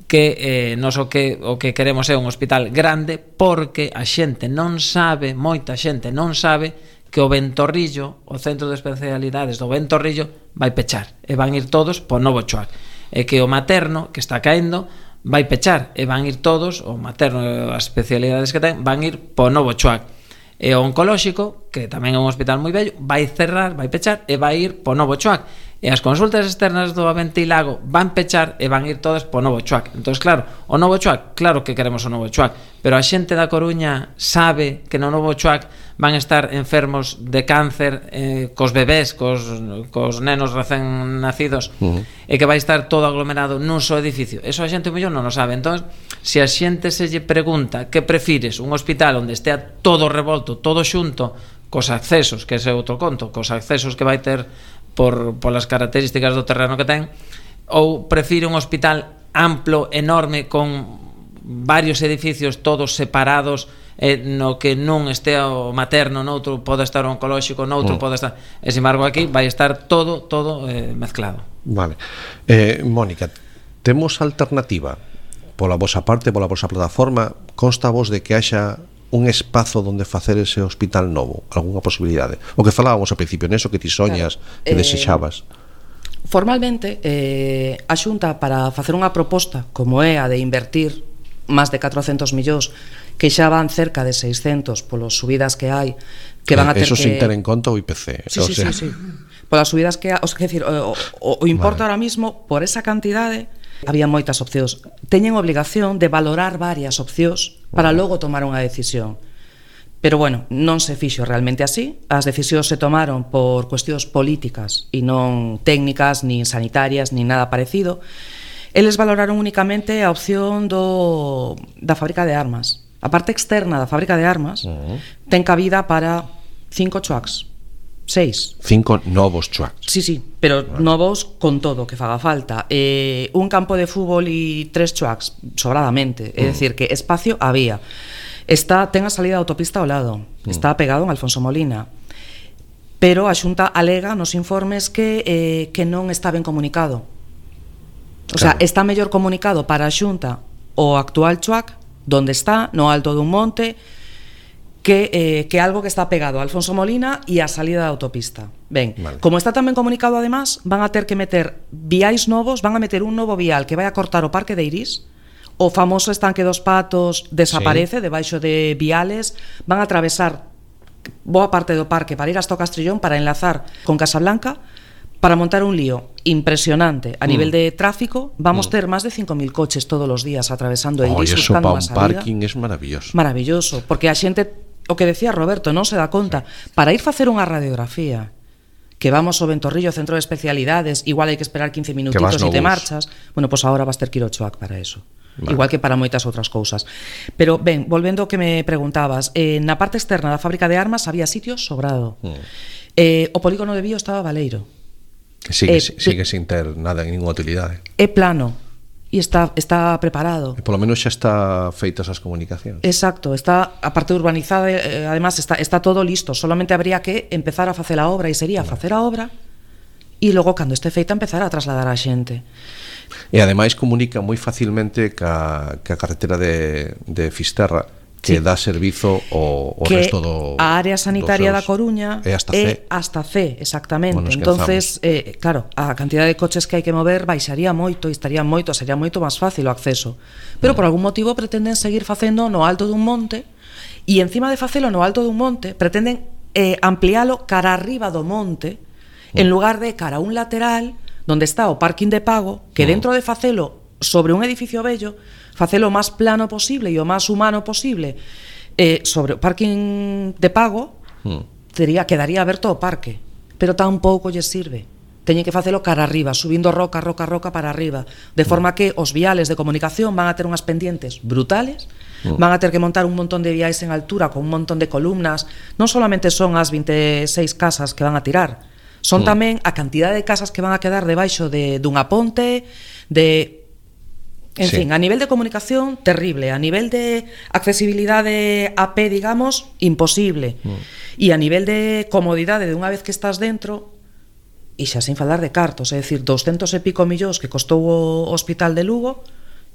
que nos o que queremos é un hospital grande, porque a xente non sabe, moita xente non sabe que o Ventorrillo, o centro de especialidades do Ventorrillo, vai pechar e van ir todos por Novo Choac, e que o materno, que está caendo, vai pechar e van ir todos, o materno e as especialidades que ten, van ir por Novo Choac, e o oncolóxico, que tamén é un hospital moi bello, vai cerrar, vai pechar e vai ir por Novo Choac, e as consultas externas do Aventilago van pechar e van ir todas por Novo Choac. Entón, claro, o Novo Choac, claro que queremos o Novo Choac, pero a xente da Coruña sabe que no Novo Choac van estar enfermos de cáncer, cos bebés, cos nenos recén nacidos, e que vai estar todo aglomerado nun só edificio. Eso a xente mellor non o sabe. Entón, se a xente se lle pregunta que prefires, un hospital onde estea todo revolto, todo xunto, cos accesos, que ese é outro conto, cos accesos que vai ter polas características do terreno que ten, ou prefire un hospital amplo, enorme, con varios edificios todos separados, no que non estea o materno, noutro pode estar o oncolóxico, noutro pode estar, e sin embargo aquí vai estar todo mezclado. Vale. Mónica, temos alternativa pola vosa parte, pola vosa plataforma? Consta vos de que haxa un espazo donde facer ese hospital novo, algunha posibilidade? O que falábamos ao principio, neso que ti soñas, claro, que desexabas. Formalmente, a Xunta, para facer unha proposta como é a de invertir máis de 400 millóns, que xa van cerca de 600 polas subidas que hai, que van a ter eso que... sin ter en conta o IPC. Sí. Polas subidas que hai, o sea, que decir, o importa ahora mismo, por esa cantidade, había moitas opcións. Teñen obligación de valorar varias opcións para logo tomar unha decisión. Pero bueno, non se fixo realmente así. As decisións se tomaron por cuestións políticas e non técnicas, nin sanitarias, nin nada parecido. Eles valoraron únicamente a opción da fábrica de armas. A parte externa da fábrica de armas ten cabida para 5 choacs. 6. 5 novos choacs. Sí, pero novos con todo que faga falta. Un campo de fútbol e 3 choacs, sobradamente. É dicir, que espacio había. Ten a salida da autopista ao lado. Está pegado en Alfonso Molina. Pero a Xunta alega nos informes que non está ben comunicado. O sea, está mellor comunicado para a Xunta o actual choac, donde está, no alto dun monte, que algo que está pegado a Alfonso Molina e a salida da autopista. Ben, como está tamén comunicado, además, van a ter que meter viais novos, van a meter un novo vial que vai a cortar o Parque de Iris, o famoso estanque dos Patos desaparece debaixo de viales, van a atravesar boa parte do parque para ir hasta o Castrillón para enlazar con Casablanca, para montar un lío impresionante a nivel de tráfico. Vamos ter máis de 5.000 coches todos os días atravesando el Iris buscando unha salida. Parking es maravilloso. Maravilloso, porque a xente, o que decía Roberto, non se dá conta. Para ir facer unha radiografía, que vamos ao Ventorrillo, centro de especialidades, igual hai que esperar 15 minutitos e te marchas. Bueno, pois agora vas ter que ir ao Choac para eso. Igual que para moitas outras cousas. Pero ben, volvendo ao que me preguntabas, na parte externa da fábrica de armas había sitios sobrado. O polígono de Bío estaba baleiro. Sigue sin ter nada, ninguna utilidade. É plano e está preparado. E polo menos xa está feitas as comunicacións. Exacto, está a parte urbanizada, además está todo listo, solamente habría que empezar a facer a obra, e sería facer a obra e logo, cando este feita, empezar a trasladar a xente. E ademais comunica moi facilmente ca carretera de Fisterra, que dá servizo ao resto do... A área sanitaria da Coruña é hasta C, exactamente. Entonces, claro, a cantidad de coches que hai que mover baixaría moito e sería moito máis fácil o acceso. Pero por algún motivo pretenden seguir facendo no alto dun monte, e encima de facelo no alto dun monte pretenden ampliálo cara arriba do monte, en lugar de cara a un lateral donde está o parking de pago, que dentro de facelo sobre un edificio bello, facelo o máis plano posible e o máis humano posible. Sobre o parking de pago, quedaría aberto o parque, pero tampouco lle sirve. Teñen que facelo cara arriba, subindo roca para arriba, de forma que os viales de comunicación van a ter unhas pendientes brutales, van a ter que montar un montón de viais en altura con un montón de columnas. Non solamente son as 26 casas que van a tirar, son tamén a cantidad de casas que van a quedar debaixo dunha ponte, en fin, a nivel de comunicación, terrible. A nivel de accesibilidade a pé, digamos, imposible. E a nivel de comodidade de unha vez que estás dentro, e xa sin falar de cartos, é dicir, 200 e pico millóns que costou o hospital de Lugo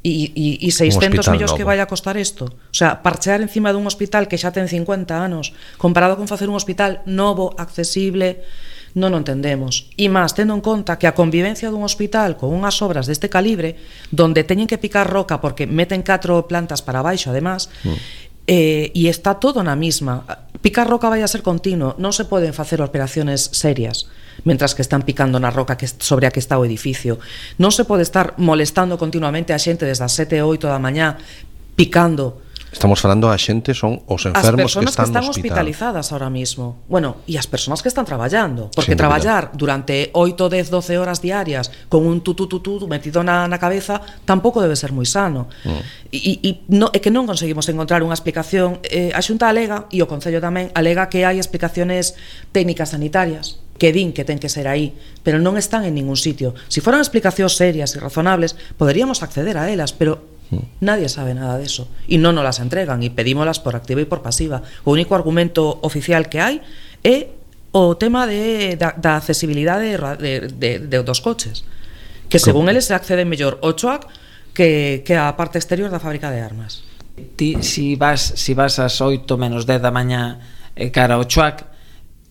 e 600 millóns que vai a costar isto. O sea, parchear encima dun hospital que xa ten 50 anos comparado con facer un hospital novo, accesible, non o entendemos. E máis, tendo en conta que a convivencia dun hospital con unhas obras deste calibre, donde teñen que picar roca porque meten 4 plantas para baixo, además, e está todo na mesma. Picar roca vai a ser continuo, non se poden facer operaciones serias mentras que están picando na roca sobre a que está o edificio. Non se pode estar molestando continuamente a xente desde as 7 ou 8 da mañá picando. Estamos falando a xente, son os enfermos que están no hospital. hospitalizadas ahora mismo. Bueno, e as persoas que están traballando, porque traballar durante 8, 10, 12 horas diarias con un tutú metido na cabeza tampouco debe ser moi sano. E que non conseguimos encontrar unha explicación. A Xunta alega, e o Concello tamén alega, que hai explicaciones técnicas sanitarias que din que ten que ser aí, pero non están en ningún sitio. Si foran explicacións serias e razonables, poderíamos acceder a elas, pero nadie sabe nada de eso e non nos las entregan e pedímolas por activa e por pasiva. O único argumento oficial que hai é o tema da accesibilidade dos coches, que según eles se accede mellor ao choac que a parte exterior da fábrica de armas. Ti, si vas ás 8 menos 10 da mañá cara ao choac,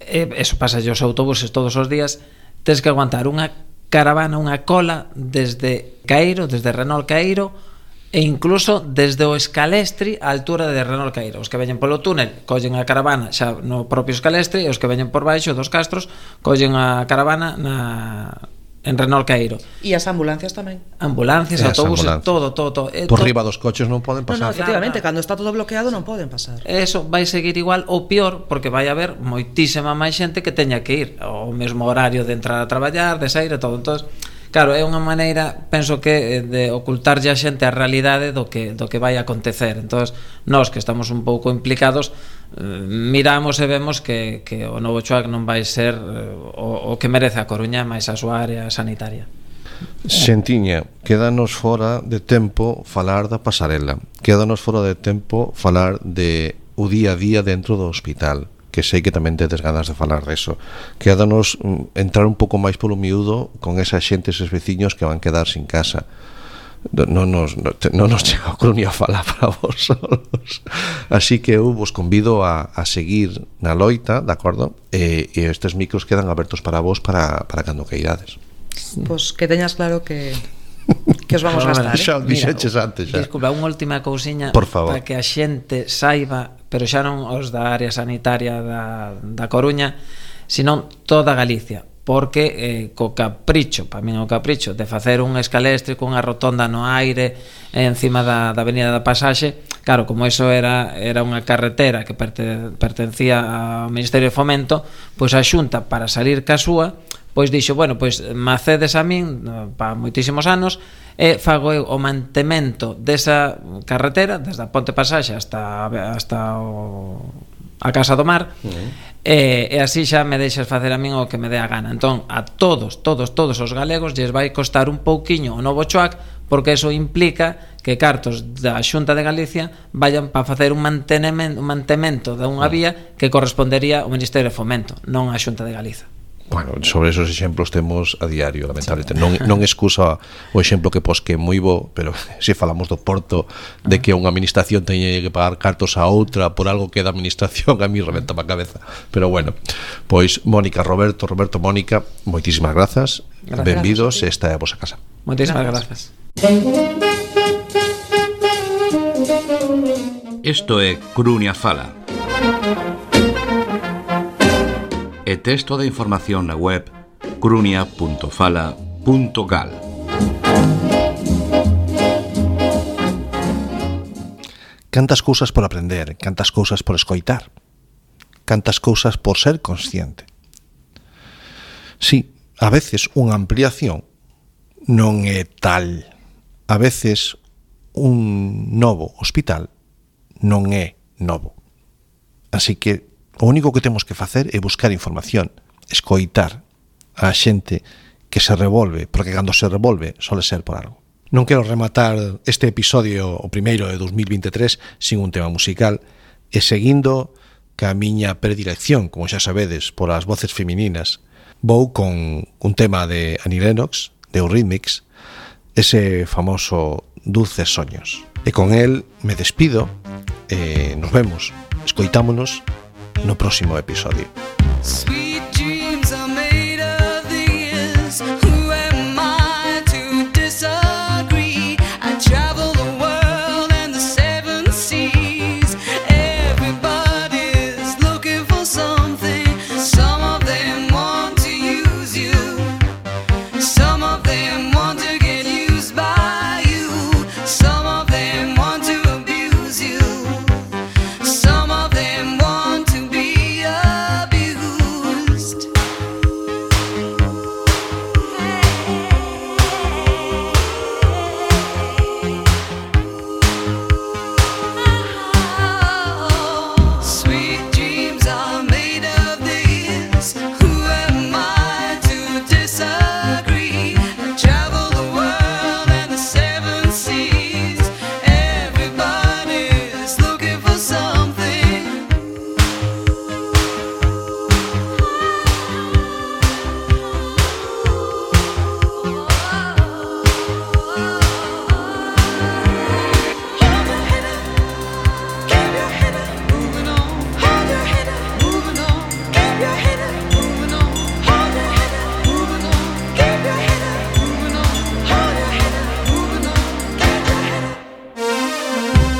eso pasa os autobuses todos os días, tens que aguantar unha caravana, unha cola desde Caeiro, desde Renol Caeiro, e incluso desde o Escalestri á altura de Renol Caeiro. Os que veñen polo túnel collen a caravana xa no propio Escalestri, e os que veñen por baixo dos Castros collen a caravana en Renol Caeiro. E as ambulancias tamén. Ambulancias, autobuses, todo. Por riba dos coches non poden pasar. No, efectivamente, cando está todo bloqueado non poden pasar. Eso vai seguir igual ou pior, porque vai haber moitísima máis xente que teña que ir ao mesmo horario de entrar a traballar, de sair e todo. Entón, claro, é unha maneira, penso que, de ocultarlle a xente a realidade do que vai acontecer. Entón, nós que estamos un pouco implicados, miramos e vemos que o novo choac non vai ser o que merece a Coruña, máis a súa área sanitaria. Xentiña, quédanos fora de tempo falar da pasarela, quédanos fora de tempo falar de o día a día dentro do hospital, que sei que tamén tedes ganas de falar deso. Quédanos entrar un pouco máis polo miúdo con esa xente, eses veciños que van quedar sin casa. Non nos chega a Coruña a falar para vos solos. Así que eu vos convido a seguir na loita, de acordo? E estes micros quedan abertos para vos para cando queirades. Pois que teñas claro que os vamos a gastar. Xa dixeches antes xa. Disculpa, unha última cousiña para que a xente saiba, pero xa non os da área sanitaria da Coruña, senón toda Galicia, porque co capricho, para min o capricho de facer un escalestre con unha rotonda no aire encima da avenida da Pasaxe, claro, como iso era unha carretera que pertencía ao Ministerio de Fomento, pois a Xunta, para salir ca súa, pois dixo, bueno, pois macedes a min para moitísimos anos e fago eu o mantemento desa carretera desde a Ponte Pasaxe hasta a Casa do Mar, e así xa me deixas facer a min o que me dé a gana. Entón, a todos os galegos lles vai costar un pouquiño o novo choac, porque eso implica que cartos da Xunta de Galicia vayan para facer un mantemento de unha vía que correspondería ao Ministerio de Fomento, non á Xunta de Galiza. Bueno, sobre esos exemplos temos a diario, lamentablemente. Non excusa o exemplo que pos que é moi bo, pero se falamos do Porto, de que unha administración teña que pagar cartos a outra por algo que é da administración, a mí reventa a cabeza. Pero bueno, pois Mónica, Roberto, Mónica, moitísimas grazas. Benvidos, esta é a vosa casa. Moitísimas grazas. Isto é Coruña Fala. E texto de información na web coruña.fala.gal. Cantas cousas por aprender, cantas cousas por escoitar, cantas cousas por ser consciente. Sí, a veces unha ampliación non é tal. A veces un novo hospital non é novo. Así que o único que temos que facer é buscar información, escoitar a xente que se revolve, porque cando se revolve sole ser por algo. Non quero rematar este episodio, o primeiro de 2023, sin un tema musical, e seguindo ca miña predilección, como xa sabedes, por as voces femininas, vou con un tema de Annie Lennox, de Eurythmics, ese famoso Dulces Soños. E con el me despido e nos vemos, escoitámonos no próximo episodio. Sweet